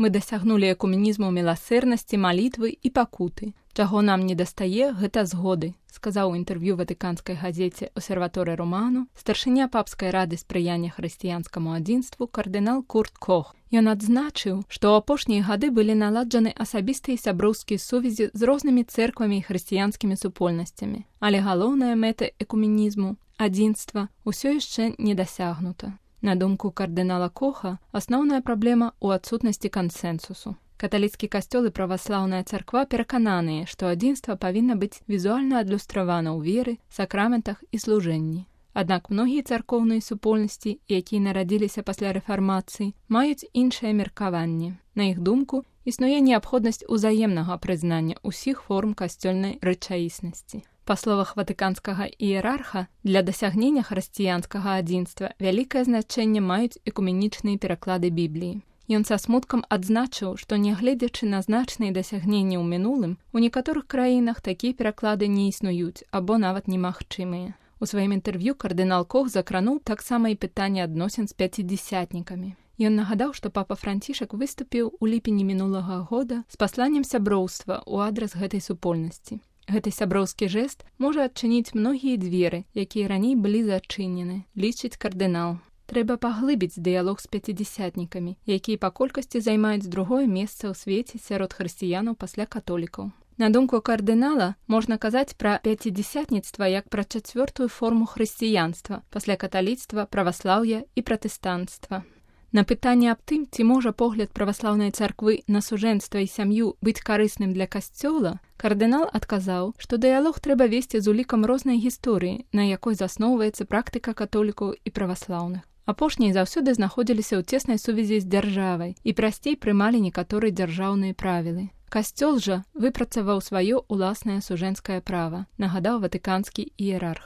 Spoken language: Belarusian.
Мы дасягнулі экуменізму міласэрнасці, малітвы і пакуты. Чаго нам не дастае, гэта згоды, сказаў у інтэрв'ю ватыканскай газеце «Осерваторе Романо» старшыня папскай рады спрыяння хрысціянскаму адзінству кардынал Курт Кох. Ён адзначыў, што ў апошнія гады былі наладжаны асабістыя і сяброўскія сувязі з рознымі цэрквамі і хрысціянскімі супольнасцямі, але галоўная мэта экуменізму – адзінства – усё яшчэ не дасягнута. На думку кардынала Коха, асноўная праблема ў адсутнасці кансэнсусу. Каталіцкі касцёл і праваслаўная царква перакананыя, што адзінства павінна быць візуальна адлюстравана ў веры, сакраментах і служэнні. Аднак многія царкоўныя супольнасці, якія нарадзіліся пасля рэфармацыі, маюць іншае меркаванне. На іх думку, існуе неабходнасць узаемнага прызнання ўсіх форм касцёльнай рэчаіснасці. Па словах ватыканскага іерарха, для дасягнення хрысціянскага адзінства вялікае значэнне маюць экуменічныя пераклады Бібліі. Ён са смуткам адзначыў, што нягледзячы на значныя дасягненні ў мінулым, у некаторых краінах такія пераклады не існуюць або нават немагчымыя. У сваім інтэрв'ю кардынал Кох закрануў таксама і пытанне адносін з пяцідзясятнікамі. Ён нагадаў, што папа Францішак выступіў у ліпені мінулага года з пасланнем сяброўства ў адрас гэтай супольнасці. Гэты сяброўскі жэст можа адчыніць многія дзверы, якія раней былі зачынены, лічыць кардынал. Трэба паглыбіць дыялог з пяцідзясятнікамі, якія па колькасці займаюць другое месца ў свеце сярод хрысціянаў пасля католікаў. На думку кардынала, можна казаць пра пяцідзясятніцтва як пра чацвёртую форму хрысціянства пасля каталіцтва, праваслаўя і пратэстанцтва. На пытанне аб тым, ці можа погляд праваслаўнай царквы на сужэнства і сям'ю быць карысным для касцёла, кардынал адказаў, што дыялог трэба весці з улікам рознай гісторыі, на якой засноўваецца практыка католікаў і праваслаўных. Апошнія заўсёды знаходзіліся ў цеснай сувязі з дзяржавай і прасцей прымалі некаторыя дзяржаўныя правілы. Касцёл жа выпрацаваў сваё ўласнае сужэнскае права, нагадаў ватыканскі іерарх.